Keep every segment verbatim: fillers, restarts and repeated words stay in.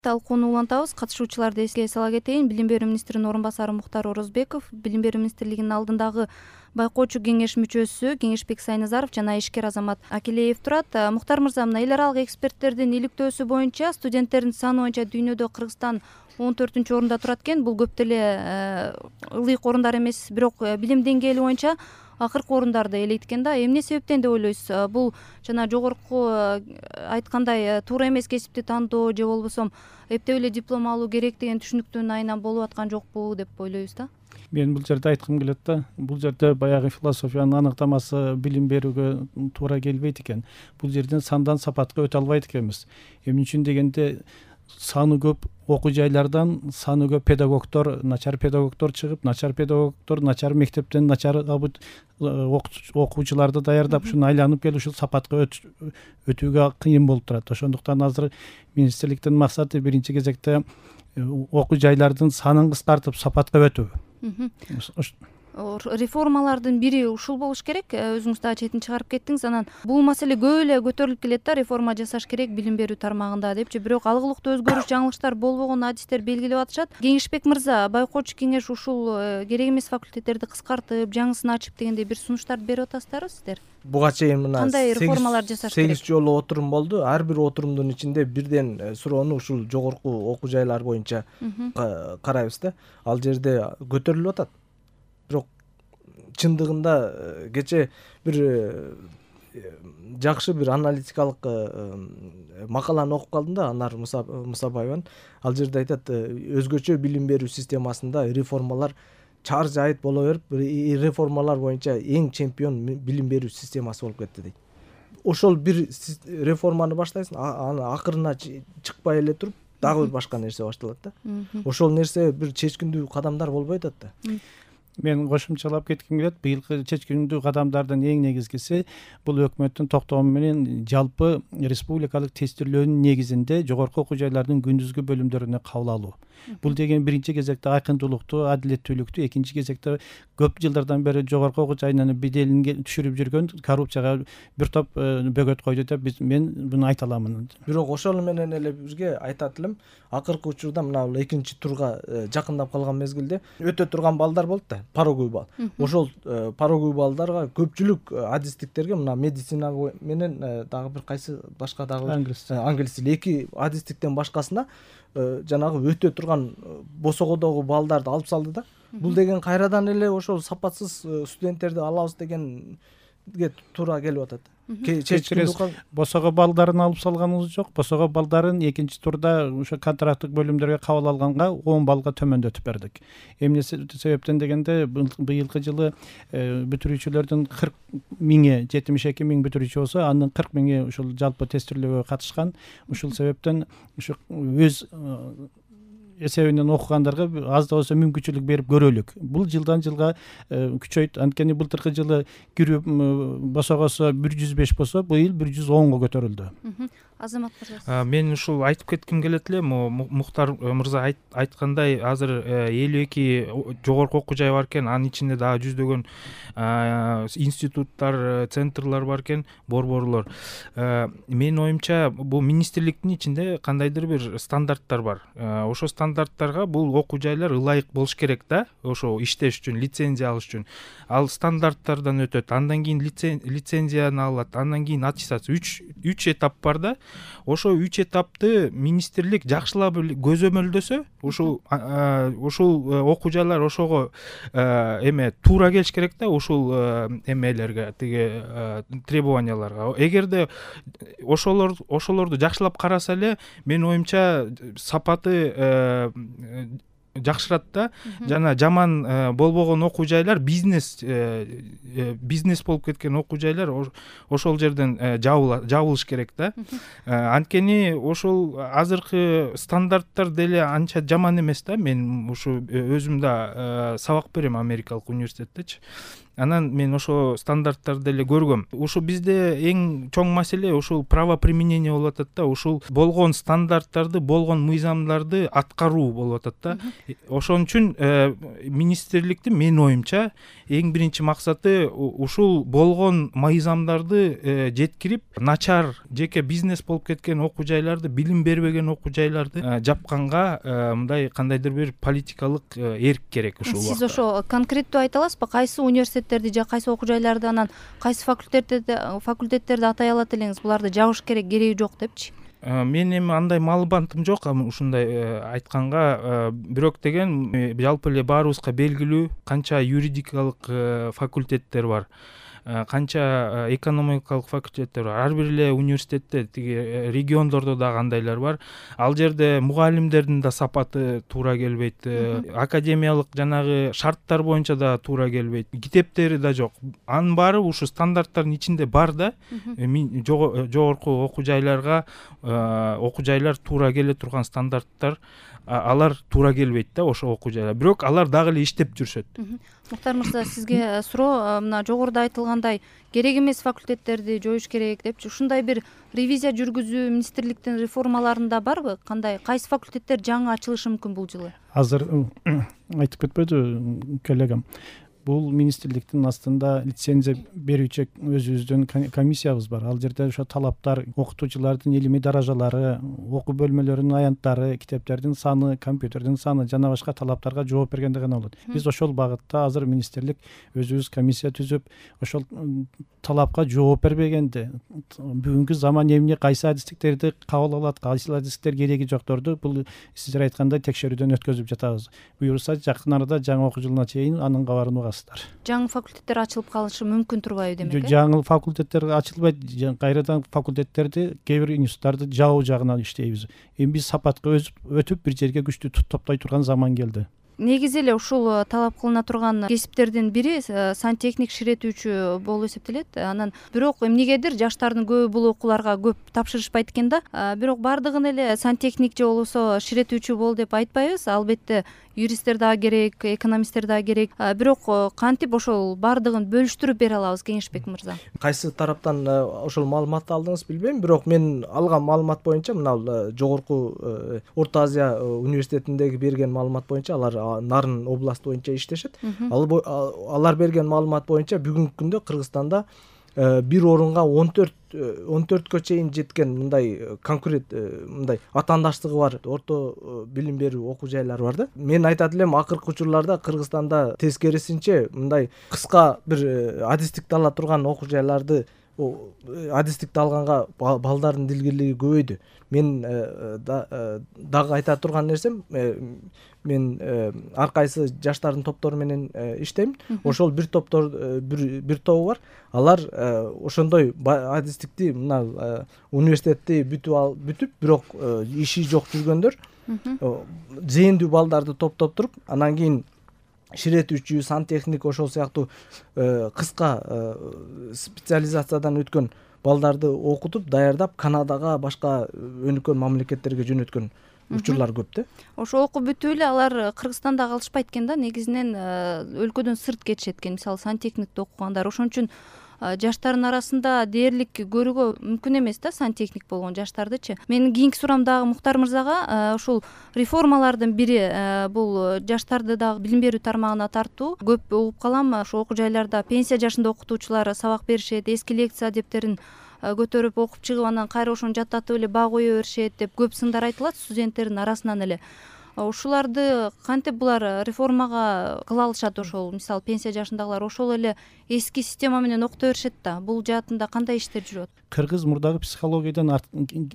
Талкууну улантабыз. Катышуучуларды эске сала кетейин. Билим берүү министринин орун басары Мухтар Орозбеков, Билим берүү министрлигинин алдындагы байкоочу кеңеш мүчөсү Кеңешбек Сайназаров жана ишкер Азамат Акилеев турат. Мухтар мырза, мына эл аралык эксперттердин иликтөөсү боюнча студенттердин саны боюнча дүйнөдө Кыргызстан он төртүнчү орунда турат экен. Бул көп деле ылыйык орундар эмес, бирок билим деңгээли боюнча акыркы орундарды ээлейт экен да. Эмне себептен деп ойлойсуз? Бул жана жогорку айткандай туура эмес кесипти тандоо же болбосо эптеп эле диплом алуу керек деген түшүнүктүн айынан болуп аткан жокпу деп ойлойбуз да. Мен бул жерде айткым келет да. Бул жерде баягы философиянын аныктамасы билим берүүгө туура келбейт экен. Бул жерден сандан сапатка өтө албайт экенбиз. Эмне үчүн дегенде саны көп окуу жайлардан саны көп педагогдор, начар педагогдор чыгып, начар педагогдор начар мектептен начар окуучуларды даярдап, ушуну айланып келип ушул сапатка өтүүгө кыйын болуп турат. Ошондуктан азыр министрликтин максаты биринчи кезекте окуу жайлардын санын кыскартып сапатка өтүү. Реформалардын бири ушул болуш керек. Өзүңүз да четин чыгарып кеттиңиз. Анан бул маселе көп эле көтөрүлүп келет да, реформа жасаш керек билим берүү тармагында депчи. Бирок алгылыктуу өзгөрүш, жаңылыштар болбогон адистер белгилеп атышат. Кеңешбек мырза, байкоочу кеңеш ушул керек эмес факультеттерди кыскартып, жаңысын ачып дегендей бир сунуштарды берип атасыздарбы сиздер? Буга чейин мына кандай реформалар жасаш керек? сегиз жолу отурум болду. Ар бир отурумдун ичинде бирден суроону ушул жогорку окуу жайлар боюнча карайбыз да. Ал жерде көтөрүлүп атат. Бирок чындыгында кече бир жакшы бир аналитикалык макаланы окуп калдым да, Анар Мусабаеванын. Ал жерде айтат, өзгөчө билим берүү системасында реформалар чаар жайыт боло берип, реформалар боюнча эң чемпион билим берүү системасы болуп кетти дейт. Ошол бир реформаны баштайсың, аны акырына чыкпай эле туруп дагы бир башка нерсе башталат да. Ошол нерсе бир чечкиндүү кадамдар болбой атат да. Мен кошумчалап кетким келет. Быйылкы чечкиндүү кадамдардын эң негизгиси бул өкмөттүн токтому менен жалпы республикалык тестирлөөнүн негизинде жогорку окуу жайлардын күндүзгү бөлүмдөрүнө кабыл алуу. Бул деген биринчи кезекте айкындуулукту, адилеттүүлүктү, экинчи кезекте көп жылдардан бери жогорку окуу жайынан беделин түшүрүп жүргөн коррупцияга бир топ бөгөт койду деп биз мен буну айта аламын. Бирок ошол менен эле бизге айтат элем, акыркы учурда мына бул экинчи турга жакындап калган мезгилде өтө турган балдар болду да, пороговый балл. Ошол пороговый баллдарга көпчүлүк адистиктерге мына медицина менен дагы бир кайсы башка дагы англис тили эки адистиктен башкасына жанагы өтө турган босогодогу балдарды алып салды да. Бул деген кайрадан эле ошол сапатсыз студенттерди алабыз дегенге туура келип атат. Босого балдарын алып салганыбыз жок. Босого балдарын экинчи турда ошо контракттык бөлүмдөргө кабыл алганга он баллга төмөндөтүп бердик. Эмне себептен дегенде быйылкы жылы бүтүрүүчүлөрдүн кырк миңи, жетимиш эки миң бүтүрүүчү болсо, анын кырк миңи ушул жалпы тестирлөөгө катышкан. Ушул себептен ушу өз эсебинен окугандарга аз да болсо мүмкүнчүлүк берип көрөлүк. Бул жылдан жылга күчөйт. Анткени былтыркы жылы кирүү босогосо бир жүз беш болсо, быйыл бир жүз онго көтөрүлдү. Азамат мырза. Мен ушул айтып кетким келет эле, Мухтар мырза айткандай, азыр элүү эки жогорку окуу жай бар экен, анын ичинде дагы жүздөгөн институттар, центрлар бар экен, борборлор. Менин оюмча, бул министрликтин ичинде кандайдыр бир стандарттар бар. Ошо стандарттарга бул окуу жайлар ылайык болуш керек да, ошо иштеш үчүн, лицензия алыш үчүн. Ал стандарттардан өтөт, андан кийин лицензияны алат, андан кийин аттестация. үч этап бар да. Ошо үч этапты министрлик жакшылап көзөмөлдөсө, ушул ушул окуу жайлар ошого эме туура келиш керек да, ушул эмелерге, тиги требованияларга. Эгерде ошолор ошолорду жакшылап караса эле, менин оюмча сапаты жакшырат да. Жана жаман болбогон окуу жайлар, бизнес бизнес болуп кеткен окуу жайлар ошол жерден жабылыш керек да. Анткени ошол азыркы стандарттар деле анча жаман эмес да. Мен ушу өзүм да сабак берем Америкалык университеттечи. Анан мен ошо стандарттарды эле көргөм. Ушу бизде эң чоң маселе ушул правоприменение болуп атат да. Ушул болгон стандарттарды, болгон мыйзамдарды аткаруу болуп атат да. ошон үчүн министрликтин менин оюмча эң биринчи максаты ушул болгон мыйзамдарды жеткирип, начар жеке бизнес болуп кеткен окуу жайларды, билим бербеген окуу жайларды жапканга мындай кандайдыр бир политикалык эрк керек ушул убакта. Сиз ошо конкреттүү айта аласызбы, кайсы университеттерди же кайсы окуу жайларды, анан кайсы факультеттерди факультеттерди атай алат элеңиз, буларды жабыш керек, кереги жок депчи? Мен эми андай маалыматым жок ушундай айтканга, бирок деген жалпы эле баарыбызга белгилүү канча юридикалык факультеттер бар, канча экономикалык факультеттер бар. Ар бир эле университетте, тиги региондордо дагы андайлар бар. Ал жерде мугалимдердин да сапаты туура келбейт, академиялык жанагы шарттар боюнча да туура келбейт, китептери да жок. Анын баары ушу стандарттардын ичинде бар да, жогорку окуу жайларга окуу жайлар туура келе турган стандарттар, алар туура келбейт да ошо окуу жайлар. Бирок алар дагы эле иштеп жүрүшөт. Муктар мырза, сизге суроо, мына жогоруда айтылгандай керек эмес факультеттерди жоюш керек депчи, ушундай бир ревизия жүргүзүү министрликтин реформаларында барбы? Кандай, кайсы факультеттер жаңы ачылышы мүмкүн бул жылы? Азыр айтып кетпеди коллегам, бул министрликтин астында лицензия берүүчү өзүбүздүн комиссиябыз бар. Ал жерде ошо талаптар, окутуучулардын илимий даражалары, окуу бөлмөлөрүнүн аянттары, китептердин саны, компьютердин саны жана башка талаптарга жооп бергенде гана болот. Биз ошол багытта азыр министрлик өзүбүз комиссия түзүп, ошол талапка жооп бербегенде, бүгүнкү заман эмне, кайсы адистиктерди кабыл алат, кайсы адистиктер кереги жокторду бул сиздер айткандай текшерүүдөн өткөзүп жатабыз. Буюрса жакын арада жаңы окуу жылына чейин анын кабарын угасыздар. Жаңы факультеттер ачылып калышы мүмкүн турбайбы демек? Жаңы факультеттер ачылбайт, кайрадан факультеттерди, кээ бир институттарды жабуу жагынан иштейбиз. Эми биз сапатка өтүп бир жерге күчтүү топтой турган заман келди. Негизи эле ушул талап кылына турган кесиптердин бири сантехник ширетүүчү болуп эсептелет. Анан бирок эмнегедир жаштардын көбү бул окууларга көп тапшырышпайт экен да. Бирок бардыгын эле сантехник же болбосо ширетүүчү бол деп айтпайбыз. Албетте юристтер дагы керек, экономисттер дагы керек. Бирок кантип ошол бардыгын бөлүштүрүп бере алабыз, Кеңешбек мырза? Кайсы тараптан ошол маалыматты алдыңыз билбейм, бирок мен алган маалымат боюнча, мына жогорку Орто Азия университетиндеги берген маалымат боюнча, алар Нарын областы боюнча иштешет. Алар берген маалымат боюнча бүгүнкү күндө Кыргызстанда бир орунга он төрт он төрткө чейин жеткен мындай конкурент, мындай атаандаштыгы бар орто билим берүү окуу жайлары бар да. Мен айтат элем, акыркы учурларда Кыргызстанда тескерисинче мындай кыска бир адистикти ала турган окуу жайларды, адистикти алганга балдардын дилгирлиги көбөйдү. Мен дагы айта турган нерсем, мен ар кайсы жаштардын топтору менен иштейм. Ошол бир топтор бир бир тобу бар. Алар ошондой адистикти, мына университетти бүтүп ал бүтүп, бирок иши жок жүргөндөр зээндүү балдарды топтоп туруп, анан кийин ширетүүчү, сантехник, ошол сыяктуу кыска специализациядан өткөн балдарды окутуп, даярдап Канадага, башка өнүккөн мамлекеттерге жөнөткөн учурлар көп да. Ошо окуп бүтүп эле алар Кыргызстанда калышпайт экен да, негизинен өлкөдөн сырт кетишет экен, мисалы сантехникти окугандар. Ошон үчүн жаштардын арасында дээрлик көрүүгө мүмкүн эмес да сантехник болгон жаштардычы. Менин кийинки суроом дагы Муктар мырзага, ушул реформалардын бири бул жаштарды дагы билим берүү тармагына тартуу. Көп угуп калам, ошо окуу жайларда пенсия жашында окутуучулар сабак беришет, эски лекция адептерин көтөрүп окуп чыгып, анан кайра ошону жаттатып эле баа кое беришет деп көп сындар айтылат студенттердин арасынан эле. Ушуларды кантип булар реформага кыла алышат? Ошол мисалы пенсия жашындагылар ошол эле эски система менен окута беришет да. Бул жаатында кандай иштер жүрөт? Кыргыз мурдагы психологиядан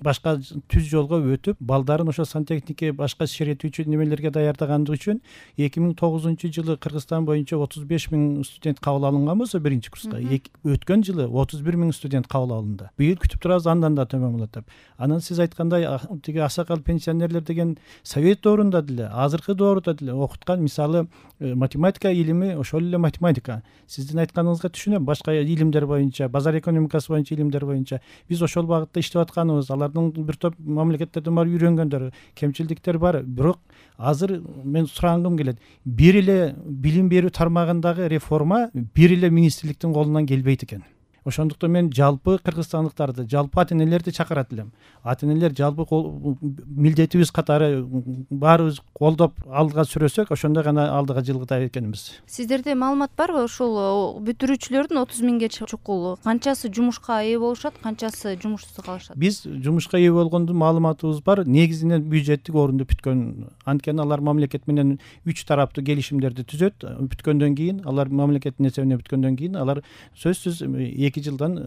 башка түз жолго өтүп, балдарын ошо сантехникке, башка ширетүүчү немелерге даярдаган үчүн эки миң тогузунчу жылы Кыргызстан боюнча отуз беш миң студент кабыл алынган болсо биринчи курска, өткөн жылы отуз бир миң студент кабыл алынды. Быйыл күтүп турабыз, андан да төмөн болот деп. Анан сиз айткандай, тиги аксакал пенсионерлер деген совет доорунда деле, азыркы дооруда деле окуткан, мисалы математика илими ошол эле математика. Сиздин айтканыңызга түшүнөм, башка илимдер боюнча, базар экономикасы боюнча илимдер боюнча биз ошол багытта иштеп атканыбыз, алардын бир топ мамлекеттерден барып үйрөнгөндөр, кемчилдиктер бар. Бирок азыр мен сурагым келет, бир эле билим берүү тармагындагы реформа бир эле министрликтин колунан келбейт экен. ошондуктан мен жалпы кыргызстандыктарды, жалпы ата энелерди чакырат элем. Ата энелер жалпы милдетибиз катары баарыбыз колдоп алдыга сүрөсөк, ошондо гана алдыга жылгыта экенбиз. Сиздерде маалымат барбы ушул бүтүрүүчүлөрдүн отуз миңге чукул канчасы жумушка ээ болушат, канчасы жумушсуз калышат? Биз жумушка ээ болгондун маалыматыбыз бар. Негизинен бюджеттик орунду бүткөн. Анткени алар мамлекет менен үч тараптуу келишимдерди түзөт. Бүткөндөн кийин, алар мамлекеттин эсебине бүткөндөн кийин алар сөзсүз эки жылдан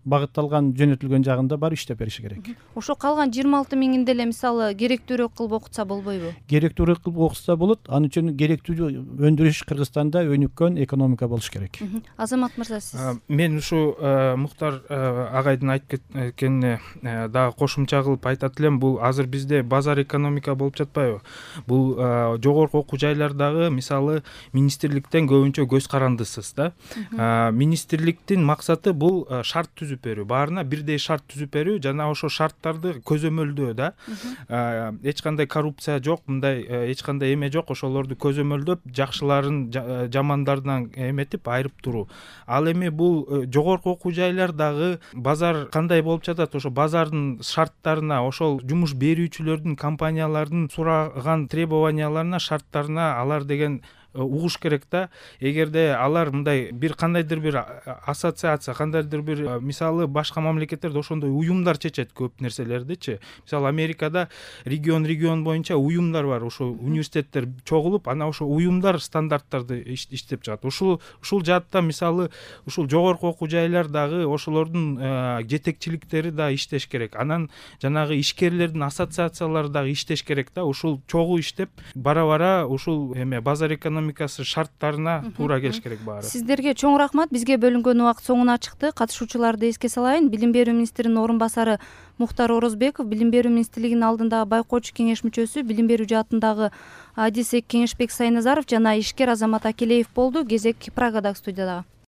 багытталган жөнөтүлгөн жагында бар иштеп бериши керек. Ошо калган жыйырма алты миңин деле мисалы керектүүрөөк кылып окутса болбойбу? Керектүүрөөк кылып окутса болот. Анын үчүн керектүү өндүрүш Кыргызстанда өнүккөн экономика болуш керек. Азамат мырза, сиз? Мен ушу Муктар агайдын айтып кеткенине дагы кошумча кылып айтат элем. Бул азыр бизде базар экономика болуп жатпайбы? Бул жогорку окуу жайлардагы мисалы министрликтен көбүнчө көз карандысыз да. Министрликтин максаты бул шарт түзүү берүү, баарына бирдей шарт түзүп берүү жана ошо шарттарды көзөмөлдөө да. Эч кандай коррупция жок, мындай эч кандай эме жок, ошолорду көзөмөлдөп, жакшыларын жамандардан эметип айырып туруу. Ал эми бул жогорку окуу жайлардагы базар кандай болуп жатат, ошо базардын шарттарына, ошол жумуш берүүчүлөрдүн, компаниялардын сураган требованияларына, шарттарына алар деген угуш керек да. Эгерде алар мындай бир кандайдыр бир ассоциация, кандайдыр бир мисалы башка мамлекеттерде ошондой уюмдар чечет көп нерселердичи. Мисалы Америкада регион регион боюнча уюмдар бар, ошо университеттер чогулуп, анан ошо уюмдар стандарттарды иштеп чыгат. Ушул ушул жаатта мисалы ушул жогорку окуу жайлардагы ошолордун жетекчиликтери да иштеш керек. Анан жанагы ишкерлердин ассоциациялары дагы иштеш керек да. Ушул чогуу иштеп бара-бара ушул эме базар экономикасы шарттарына туура келиш керек баары. Сиздерге чоң рахмат. Бизге бөлүнгөн убакыт соңуна чыкты. Катышуучуларды эске салайын. Билим берүү министринин орун басары Муктар Орозбеков, Билим берүү министрлигинин алдындагы байкоочу кеңеш мүчөсү, билим берүү жаатындагы адиси Кеңешбек Сайназаров жана ишкер Азамат Акелеев болду. Кезек Прагадагы студияда.